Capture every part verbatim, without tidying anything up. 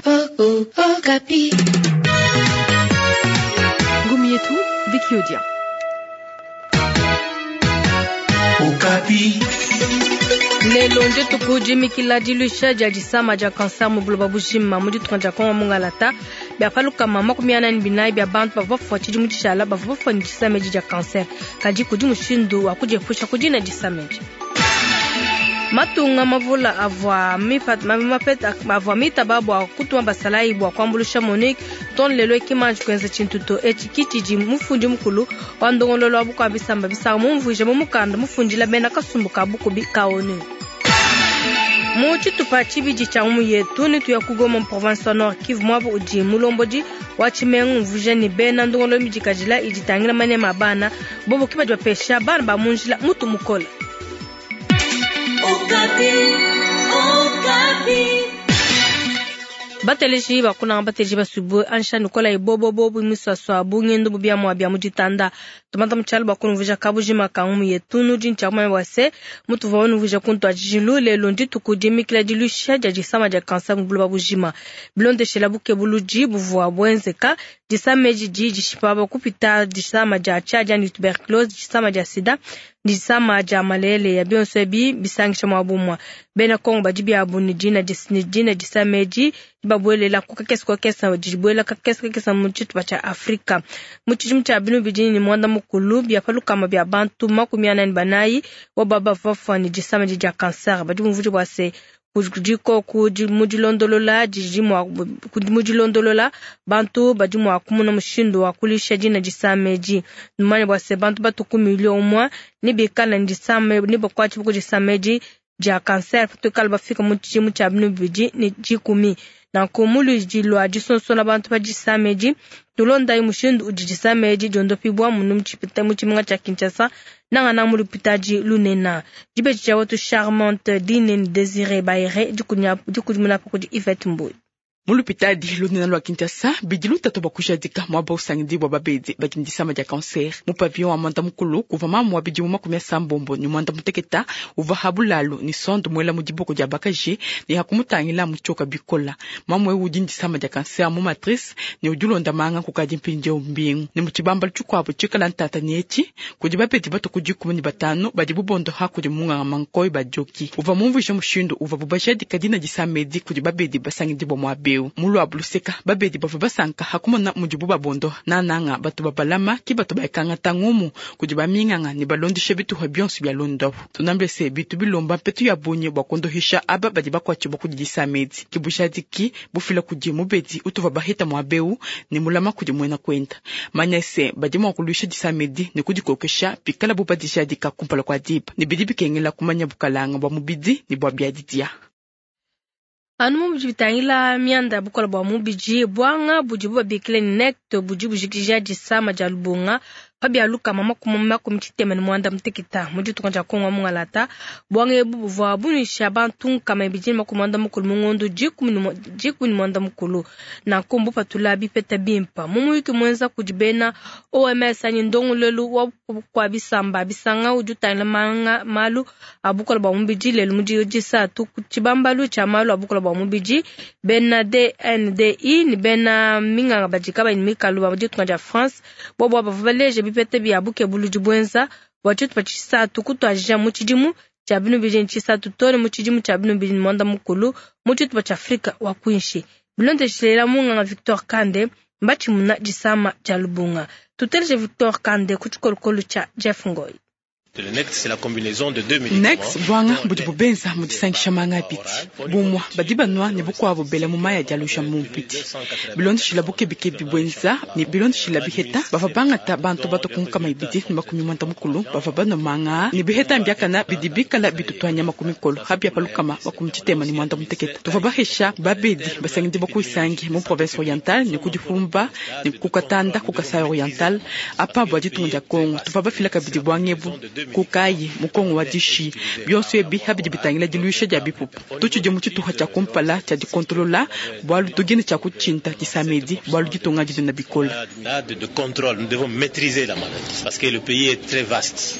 Okapi. Ngumi yetu Vicky Odia. Okapi. Lelo ndituku dimikila diluisha dia disama dia cancer mu buloba bujima mu ditunga dia Kongo mungalata bia palukama makumi anayi ne binayi bia bantu bavua bafua tshidimu tshishala bavua bafua ne disama edi dia cancer, kadi kudi mushindu wa kudiepusha ku dina disama edi. Matunga mavula avua avua mitaba bua kutuma basalayi bua kuambuluisha MONUC too ne lelo ekimanji kuenza tshintu to. Etshi ki tshidi mufundi mukulu wa ndongoluelu wa bukua bisamba bisanga mumvuije mu mukanda mufundila bena kasumbu ka bukubi ka ONU. Mu tshitupa tshibidi tshia ngumu yetu netuya ku Goma mu province wa Nord Kivu, muaba udi mulombodi wa tshimenga umvuija ne bena ndongoluelu midikadila idi itangila manema a bana bobo ke badi bapesha bana ba mu njila mutu mukole. Okapi, Okapi. Bateleji bakunanga bateleji basuibue ansha nikola ibobobo miswaswa bungendu bubiamua bia mu ditanda tumata mutshialu bakunumvuija kabujima ka ngumu yetu nudi ntshiakumanya bua se mutuvua unumvuija kuntu atshijilu lelo ndituku dimikila diluisha dia disama dia cancer mu buloba bujima bilondeshela bukebuludi buvua buenzeka disama edi didi dishipa kupita disama dia tshiadi anyi tuberculose, disama dia sida, disama dia malaria. Bionso ebi bisangisha muaba umue. Bena Kongo badi biabu ne dina ne dina disama edi dibabuelela ku kakese kakese, dibuela kakese kakese mu tshitupa tshia Afrika. Mu tshidimu tshia binu bidi ne muanda mukulu bia palukama bia bantu makumi anayi ne banayi boba bavua bafua ne disama dia cancer. Badi bumvuija bua se kudiko mu dilondolola didi mua mu dilondolola bantu badi mua kumona mushindu wa kuluisha dina disama edi. Numanye bua se bantu batu ku milio umue ne bikala ne disama ne bakuatshibua ku disama edi dia cancer patuikala bafika mu tshidimu tshia binu bibidi ne dikumi. Nanku mu luidi lua disonsola bantu pa disama edi, tulondayi mushindu udi disama edi diondopibua munu mu tshimenga tshia Kinshasa, nangananga mu lupitadi lunene. Dibeji dia wetu Charmante Dine Désiré Bayere, dikudimuna pa kudi Yvette Mboy. Mu lupitadi lunene lua Kinshasa bidi lutatu bua kujadika muaba usangidibua babedi badi ne disama dia cancer. Mu pavillon wa mwanda mukulu kuvua mamu wa bidimu makumi asambombo ne mwanda muteketa uvua ha bulalu ne sonde muela mu diboko dia bakaji ne hakumutangila mutshioka bikola. Mamu ewu udi ne disama dia cancer mu matrice ne udi ulonda manga kukadi mpindieu mbingu. Ne mu tshibambalu tshikuabu tshikala ntata ne etshi kudi babedi batu ku dikumi ne batanu badi bubondoha kudi munganga Mankoyi Badioki uvua mumvuije mushindu uvua bubajadika dina disama edi kudi babedi basangidibua muaba eu. Mu luabu luseka babedi bavua basanka hakumona mudibu babondoha nananga batu babalama ki batu baikangata ngumu kudi baminganga ne balondesha bituha bionso bia londopu. Tunambe se bitu bilomba mpetu ya bungi bua kondohisha aba badi bakuatshibua kudi disama edi ki bujadiki bufila kudi mubedi utuvua baheta muaba eu ne mulama kudi muena kuenda. Manya se badi mua kuluisha disama edi ne kudikokesha pikala bu badijadika kumpala kua diba ne bidi bikengela kumanya bukalanga bua mubidi ne bua biadidia. Anu mu bidi bitangila mianda ya bukola bua mubidi, buanga budibu babikila ne Nect budi bujikija disama dia lubunga pa bia lukama makumi makumi tshitema ne muanda muteketa mu ditunga dia Kongo mungalata. Buanga ebu buvua bunuisha bantu nkama ibidi ne makumi muanda mukulu mu ngondo dikumi ne muanda mukulu, nanku mbupatula bipeta bimpa. Mu muyuki muenza kudi bena O M S anyi ndongoluelu wa bukua bisamba bisanga udi utangila manga malu a bukola bua mubidi lelu mu disatu ku tshibambalu tshia malu a bukola bua mubidi, bena D N D I ne bena minganga badi kabayi ne mikalu ba ditunga dia France bobo bavua baleja bipeta bia bukebuludi buenza bua tshitupa tshisatu kutuadija mu tshidimu tshia binu bibidi ne tshisatu too ne mu tshidimu tshia binu bibidi ne muanda mukulu mu tshitupa tshia Afrika wa kuinshi. Bilondeshela munganga Victor Kande, mbatshimuna disama dia lubunga. Tuteleje Victor Kande ku tshikolokolo tshia Jeff Ngoy. Nex bwanga budi bubenza mu disangisha manga abidi, bumwa badi banwa ne bukuabu bela mu maya dia lusha mu mpiti. Bilondeshila bukebikebi bwenza ne bilondeshila biheta, bava bangata bantu batu ku nkama ibidi ne makumi mwanda mukulu bava banwa manga ne biheta mbiakana bidi bikala bitutuanya makumi kolo habia palukama makumi tshitema ne mwanda muteketa. Tuva bahesha babedi basangidi bakuisangi mu province orientale ne kudifumba ne kukatanda ku Kasai oriental apa bua ditunga dia Kongo. Tuva bafila kabidi bwangebu kukayi mukongo wa dishi. Bionso ebi habidi bitangila diluisha dia bipupu. Tutshidi mu tshituha tshia kumpala tshia dikontolola bualu tugine tshia kutshinta disamedi bualu ditunga didi na bikola. De contrôle, nous devons maîtriser la maladie parce que le pays est très vaste.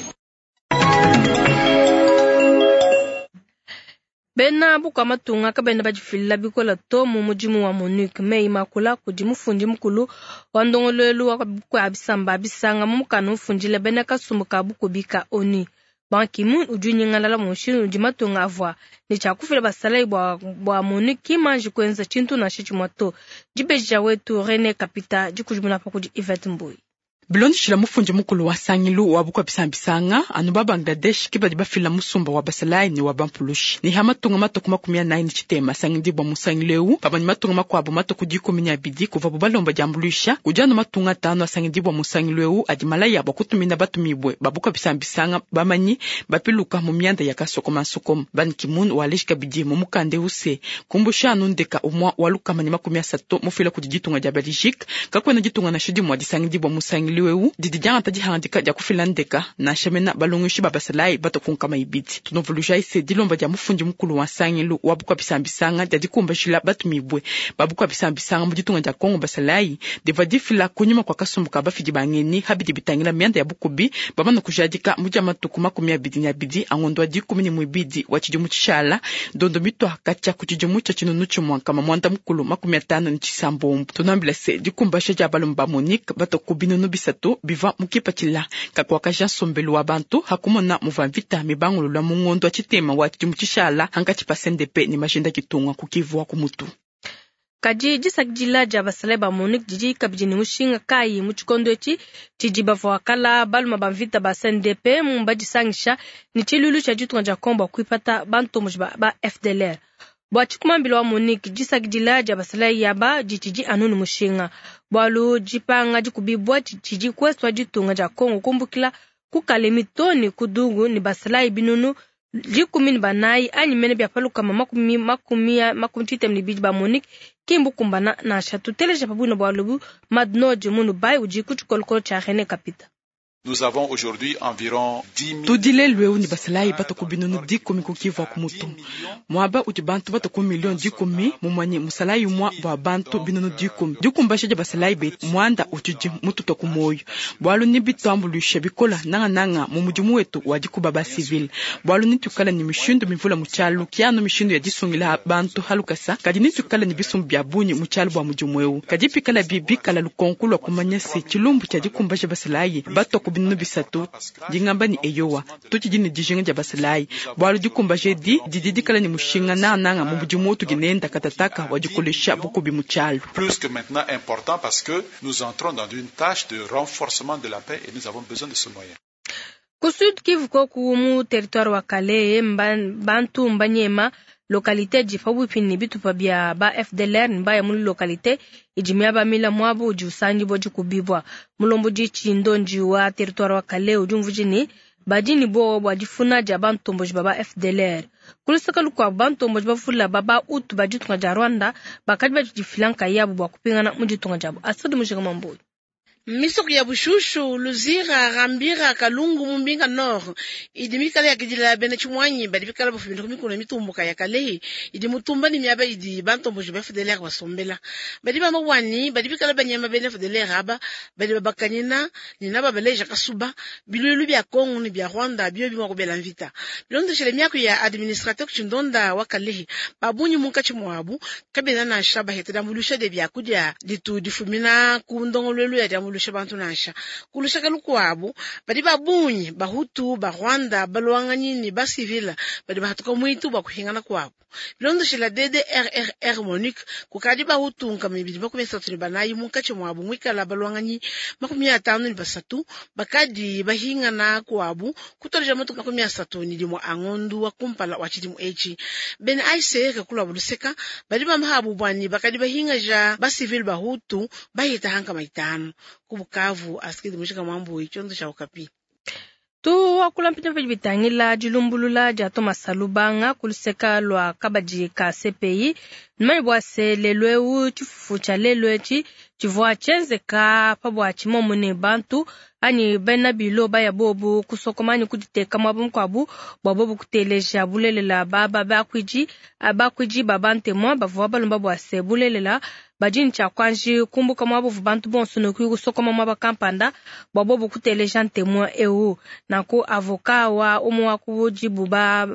Bena bukua matunga kabena badifila bikola to mu mudimu wa MONUC. Meyi makula kudi mufundi mukulu wa ndongoluelu wa bukua bisamba bisanga mu mukanda mufundila bena kasumbu ka bukubi ka ONU. Ban Ki-moon udi unyingalala mu mushindu udi matunga avua ne tshia kufila basalayi bua, bua MONUC kimanji kuenza tshintu nansha tshimue to. Dibeji wetu René Kapita dikudimuna pa kudi Yvette Mbuyi. Bilondeshila mufundi mukulu wa sangilu wa bukua bisambisanga anu ba Bangladesh ke badi bafila musumba wa basalayi ne wa bampulushi ne ha matunga matuku makumi anayi ne tshitema asangidibua musangilu ewu pamue ne matunga makuabu matuku dikumi ne abidi kuvabu balomba diambuluisha kudi anu matunga atanu asangidibua musangilu ewu adi malaya bua kutumina batumibue ba bukua bisambisanga bamanyi bapiluka mu mianda ya kasokomasokoma. Ban Ki-moon waleji kabidi mu mukanda ewu se kumbusha anu ndeka umua wa lukama ne makumi asatu mufila kudi ditunga dia Belgique kakuena ditunga nansha dimue disangidibua musangilu ewu didi diangata dihangadika dia kufila ndeka nansha mena balongeshi ba basalayi batokunkama ibidi. Tunovuluja se dilomba dia mufundi mukulu wa nsangilu wa bukua bisambisanga dia dikumbashila batumibue ba bukua bisambisanga mu ditunga dia Kongo basalayi divua difila kunyima kua kasumbu ka bafidi ba ngenyi habidi bitangila mianda ya bukubi bamana kujadika mu dia matuku makumi abidi ne abidi angondo wa dikumi ne muibidi wa tshidimu tshishala ndondo mitua katshia ku tshidimu tshia tshinunu tshimue nkama muanda mukulu makumi atanu ne tshisambombo. Tunambila se dikumbasha dia balume ba MONUC batoku binunu bisatu biva mukipatshila kakuakaja nsombelu wa bantu hakumona muva mvita mibangulula mu ngondo wa tshitema wa tshidimu tshishala hankatshi pa C N D P ne majinda kitunga kukivu ku mutu. Kadi disakidila dia basalayi ba MONUC didi kabidi ne mushinga kayi mu tshikondo etshi tshidi bavua kala baluma ba mvita ba C N D P mu badisangisha ne tshiluilu tshia ditunga dia Kongo bua kuipata bantomboji ba, ba F D L R. Bua tshikumambila wa MONUC disakidila dia basalayi yaba ditshidi anu ne mushinga bualu dipanga dikubibua tshidi kueswa ditunga dia Kongo kumbukila ku Kalemi to ne ku Dungu ne basalayi binunu dikumi ne banayi anyi mene bia palukama makumi makumi makumi tshitema ne bidi ba MONUC kimbu kumbana nansha. Tuteleja pabuina bualu bu Madnodi Munubai udi ku tshikolokolo tshia René Kapita. Nous avons aujourd'hui environ dix mille Tudile lweu ni basalayi batoku binunu dikumi kukivu ku mutu. Mwaba udi bantu batoku milioni dikumi mumanye musalayi umwa bwa bantu binunu dikumi. Dikumbasha dia basalayi betu mwanda utudi mututa ku moyo. Bwalu ni bitwambulusha bikola nanga nanga mu mudimu wetu wa dikuba ba civil. Bwalu ni tukala ni mishindu mivula mu tshialu kiano mishindu ya disungila bantu halukasa kadi ni tukala ni bisumbu bya bunyi mu tshialu bwa mudimu eu. Kadi pikala bibi kala lukonko lwa kumanya se tshilumbu tshia dikumbasha basalayi batoku binunu bisatu dingamba ni eyowa tutshidi ne dijinga dia basalayi bwalu dikumbaje di didi dikala ne mushinga nananga mu mudimu tuginenda katataka wa dikolesha bukubi mu tshialu. Plus que maintenant important parce que nous entrons dans une tâche de renforcement de la paix et nous avons besoin de ce moyen. Ku Sud Kivu koku mu territoire wa Kalehe bantu mbanyema localité di pabuipi ne bitupa bia ba F D L R mbaya mu localité idi miaba mila mwabu udi usangi bo dikubibwa. Mulombo di tshindonji wa territoire wa Kalehe udi umvuji ni badi ni bo bwa difuna dia bantomboji ba ba F D L R. Kulusaka lukwa bantomboji bavula ba ba utu ba ditunga dia Rwanda bakadi badifila nkayabu bwa kupingana mu ditunga diabu. Asudi Mujinga Mambuyi. Misoko ya Bushushu, Luzira, Rambira, Kalungu, Mumbinga Nord idi mikala ya kidila bena chimwanyi badi bikala bafumina ku mikono mitumbuka ya Kalehe idi mutumba ni miaba idi bantomboji ba F D L R basombela badi bamawani badi bikala banyama bena F D L R aba badi babakanyina ni naba baleja kasuba bilulu bya Kongo ni bya Rwanda bio bimwa kubela mvita bilondeshele miaku ya administrateur Chindonda wa Kalehe babunyi munkachi mwabu kabena na shaba hetela mulusha de bya kudia ditu difumina ku ndongolwelu ya diamulusha bantu nansha kulushaka lukwabo badi babunyi bahutu ba Rwanda balwanganyi ni ba civil badi bahatuka mwitu ba kuhingana kwabo bilondoshela D D R R R Monique kukadi bahutu nkama ibidi makumi asatu ne banayi munkachi mwabo mwikala balwanganyi makumi atanu ne basatu bakadi bahingana kwabo kutoleja matuku makumi asatu ni limwe angondu wa kumpala wa tshidimu etshi bene A C R kulwa buluseka badi bamahabu bwani bakadi bahingaja ba civil bahutu bahita hanka maitano ku Bukavu asikidi mushika mwambu ichondo cha Okapi. Tu wakula mpita mpita bitangila dilumbulula dia Thomas Lubanga kuluseka lwa kabadi ka C P I numanye bua se lelu eu tshifufu tshia lelu etshi tshivua tshienzeka pa bua tshimomo ne bantu anyi bena bilo baya bobu kusokoma anyi kuditeka muaba mukuabu bua bobu kuteleja bulelela baba bakuidi bakuidi ba bantemwa bavua balomba bua se bulelela badi ne tshia kuanji kumbuka muaba uvua bantu bonso ne kuyi kusokoma muaba kampanda bua bobu kuteleja ntemwa eu. Nanku avoka wa umwe wa ku dibu ba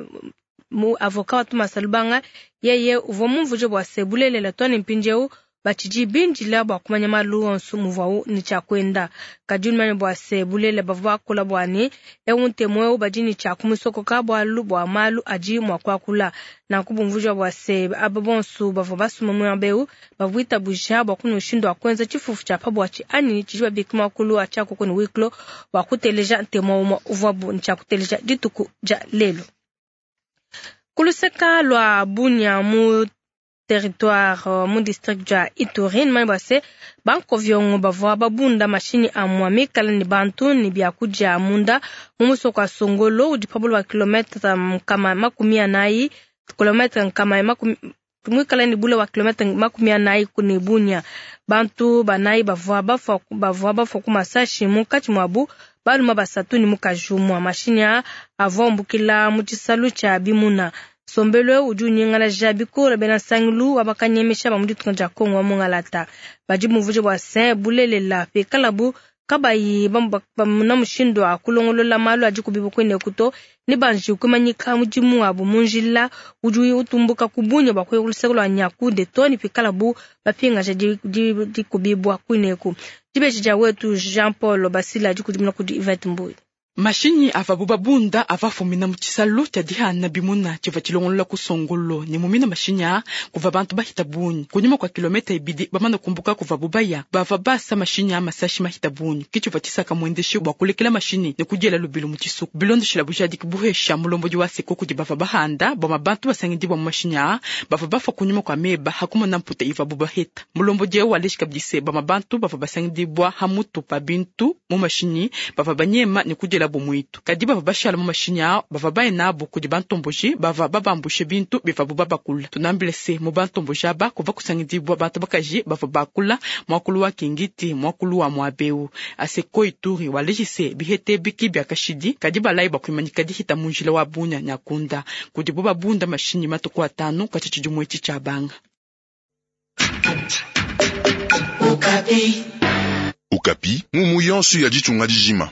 Mu avocat wa Thomas Lubanga yeye uvua mumvuje bua se bulelela to ne mpindieu batshidi bindila bua kumanya malu onso muvuawu ne tshia kuenda. Kadi unumanye bua se bulelela bavua bakula bua ne eu ntemu eu badi ne tshia kumusokoka bualu bua malu adi mua kuakula. Nanku bumvuija bua se aba bonso bavua basuma muaba eu bavua bitabuja bua kuna mushindu wa kuenza tshifufu tshia pa buatshi anyi tshidi babika muakulu wa tshiakuku ne wiklo bua kuteleja ntemu umue uvuabu ne tshia kuteleja dituku dia lelu. Kuluseka lua Bunia mu territoire mu district dia Ituri mani bua se bankovyongo bavua babunda mashinyi amua mikala ne bantu ne biakudia munda mu musoko wa Songolo udi pa bule wa kilometre nkama makumi anayi kilometre nkama makumi muikala ne bule wa kilometre makumi anayi ne Bunia. Bantu banayi bavua bafua bavua bafua ku masashi munkatshi muabu baluma basatu ne mukaji umue. Mashinyi aa avua umbukila mu tshisalu tshia bimuna. Sombelo udi unyingalaja bikole bena nsangilu wa bakanyemesha ba mu ditunga dia Kongo wa Mungalata. Badi bumvuje bua se bulelela pikalabu kabayi bamuna mushindu wa kulongolola malu adi kubibu kuineku to ne banji kumanyika mudimu wabu mu njila udi utumbuka ku Bunia bua kuya ku luseke lua Nyakunde to ne pikalabu bapingaja dikubibua kuineku. Dibeji dia wetu Jean Paul Basila dikudimuna kudi Yvette Mbuyi. Mashinyi avabu babunda avafumina mu tshisalu tshia dihana bimuna tshivua tshilongolola ku Songolo ne mumina mashinyi aa kuva bantu bahita bungi kunyuma kua kilometa ibidi bamana kumbuka kuva bubaya bava basa mashinyi a masashi mahita bungi ke tshivua tshisaka muendeshi bua kulekela mashinyi ne kudiela lubilu mu tshisuku bilondeshela bujadiki buhesha mulombodi wa seko kudi bava bahanda bua bantu basangidibwa mu mashinyi aa bava bafa kunyuma kua meba hakumona mputa ivabu baheta mulombodi eu waleji kabidi se bama bantu bava basangidibwa hamutu pa bintu mu mashinyi bava banyema ne kudiela bumuitu kadi bava bashala mu mashinyi ao bava baye nabo kudi bantomboji bava babambushe bintu bivabu babakula tunambile se mu bantomboji aba kuva kusangidibwa bantu bakaji bava bakula muakulu wa kingiti muakulu wa muabeu aseko Ituri waleji se bihete biki bia kashidi kadi balayi bakuimanyika dihita mu njila wa Bunia Nyakunda kudibo babunda mashinyi matuku atanu katshi tshidimu etshi tshia banga. Okapi. Okapi mumu yonso ya ditunga dijima.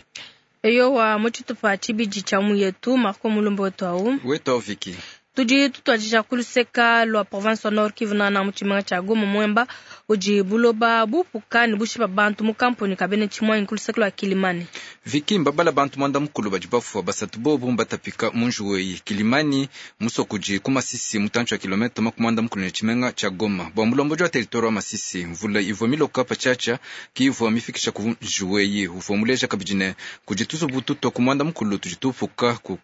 Eyowa mu tshitupa tshibidi tshia muyetu Marco Mulumba wetu au wetu au Viki tudi tutuadija kuluseka lua province wa Nord Kivu na mu tshimenga tshia Goma Mwemba udi buloba bupuka ne bushipa bantu mu kamponi kabene tshimwanyi kuluseka lua Kilimani. Viki mbabala bantu mwanda mukulu badi bafua basatu bobu mbatapika mu njuweyi Kilimani musokudi ku Masisi mutantshi wa kilometa makumi mwanda mukulu ne tshimenga tshia Goma bua mulombodi wa territoire wa Masisi mvula ivua miloka patshiatshia ki ivua mifikisha ku njuweyi uvua muleja kabidi ne kudi tuzubu tutwa ku mwanda mukulu tudi tupuka ku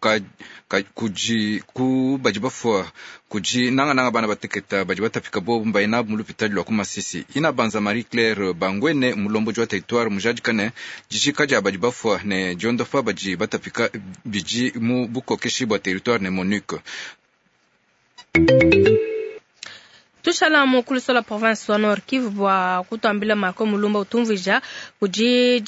kudi ku badi bafua kudi nangananga bana bateketa badi batapika bobu mbaye nabu mu lupitali lwa ku Masisi ina banza Marie Claire Bangwene mulombodi wa territoire mujadika ne dijika dia badi bafua ne diondopa badi batapika bidi mu bukokeshi bua territoire ne MONUC. Tushala mu kuluso la province wa Nord Kivu bua kutuambila Marco Mulumba utumvija kudi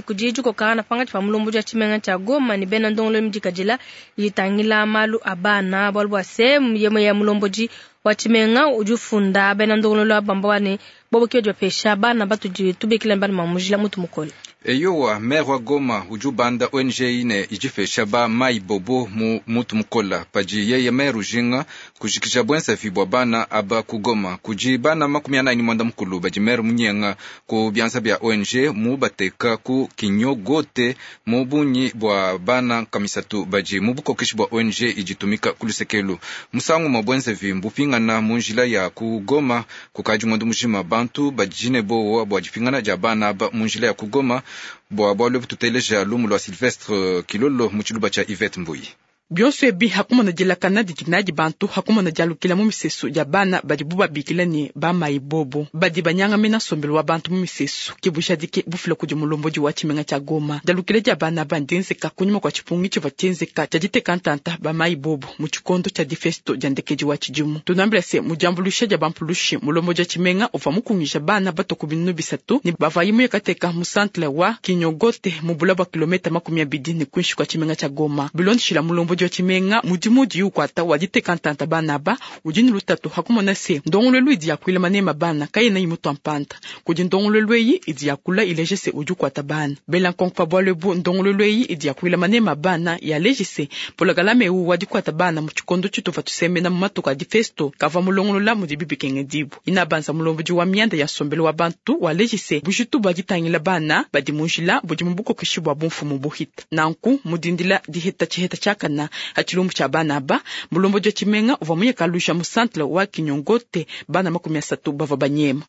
kudi dikokana pangatshi pa mulombo dia tshimenga tshia Goma ne bena ndongolo midikadila itangila malu a bana bualu bua se yemo ya mulombodi wa tshimenga udi ufunda bena ndongolo wa bamba wane bobo kio bapesha bana batudi tubikila bana mamujila mutu mukole. Eyowa maire wa Goma udi ubanda O N G ine idipesha ba mai bobo mu mutu mukola padi yeye maire ujinga kujikija bwensavi bua bana aba ku Goma kudi bana makumi anayi ne mwanda mukulu badi maire munyenga ku bianza bia O N G mu bateka ku kinyogote mu bunyi bua bana kamisatu badi mu bukokeshi bua O N G iditumika ku lusekelu musangu mwa bwensavi mbupingana mu njila ya ku Goma kukadi ngondo mujima bantu badine bowa bua dipingana dia bana aba mu njila ya ku Goma bua bualu tuteleja lumu lua Sylvestre Kilolo mu tshiluba tshia Yvette Mbuyi. Bionso ebi hakumona dilakana didi nadi bantu hakumona dialukila mu misesu dia bana badi bubabikila ne bamayi bobo badi banyangamena nsombelu wa bantu mu misesu ke bujadike bufila kudi mulombodi wa tshimenga tshia Goma dialukila dia bana bandienzeka kunyuma kua tshipungi tshivua tshienzeka tshia diteka ntanta bamayi bobo mu tshikondo tshia difesto dia ndekedi wa tshidimu tunambila se mu diambuluisha dia bampulushi mulombodi wa tshimenga uvua mukungija bana bato ku binunu bisatu ne bavayi muyekateka mu centre wa Kinyogote mu bula bua kilometa makumi abidi ne kuinshi kua tshimenga tshia Goma bilondeshila mulombodi Mulombodi wa tshimenga mudimu udi ukwata wa diteka ntanta bana aba udi ne lutatu hakumona se ndongoluelu idi yakuila manema bana kayena imutwa mpanda kudi ndongoluelu eyi idi yakula ileja se udi ukwata bana bela nkonko pa bualu ebu ndongoluelu eyi idi yakuila manema bana yaleja se pologalame eu wa dikwata bana mu tshikondo tshituva tusemena mu matuku a difesto kavua mulongolola mudi bibikengedibu inabanza mulombodi wa mianda ya nsombelu wa bantu waleja se bujitu bua ditangila bana badi mu njila budi mu bukokeshi bua bumfumu buhita nanku mudindila diheta tshiheta tshiakana ha tshilumbu tshia bana aba mulombodi wa tshimenga uvua muyekalusha mu centre wa Kinyongote bana makumi asatu bavua banyema.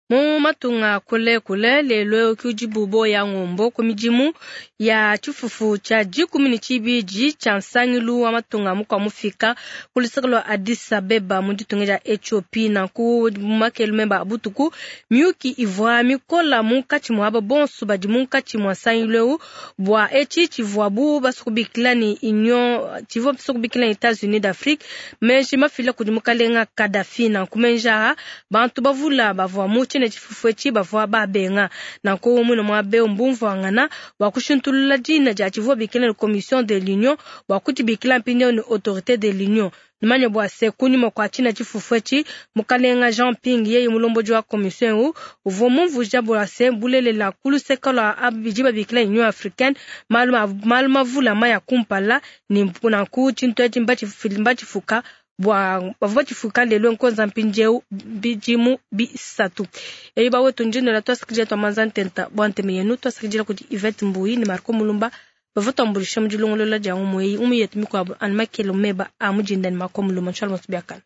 Mu matunga kule kule lelo kujibubo ya ngombo ku midimu ya tshifufu tshia dikumi ne tshibidi tshia nsangilu wa matunga mukwa mufika ku luseke lua Addis Abeba mu ditunga dia Ethiopie. Nanku makelu memba a butuku miyuki ivua mikola munkatshi mua aba bonso badi munkatshi mua nsangilu eu bua etshi tshivuabu basukubikila ne Union tshivua basukubikila ne Etats-Unis d'Afrique menji mafila kudi mukalenga Kadhafi. Nanku menji aha bantu bavula bavua mu tshine tshifufu etshi bavua babenga. Nanku mwine mwa beo mbumvuangana bua kushintulula dina dia tshivua bikila ne Commission de l'Union bua kutshibikila mpindieu ne Autorité de l'Union. Numanye bua se kunyima kua tshina tshifufu etshi mukalenga Jean Ping yeye mulombodi wa commission eu uvua mumvuija bua se bulelela ku luseke lua abidi babikila Union africaine malu mavula maya kumpala ne nanku tshintu etshi mbatshifuka bua bavua batshifuka lelo nkonza mpindieu bidimu bisatu. Eyi bawetu ndinola twasakidila twamanza ntenta bua nteme yenu twasakidila kudi Yvette Mbuyi ne Marco Mulumba bavua tuambulisha mu dilongolola dia ngumu eyi umu yetu mikuabu anu makelo meba a mudinda ne Marco Mulumba nshala masu biakana.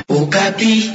Okapi.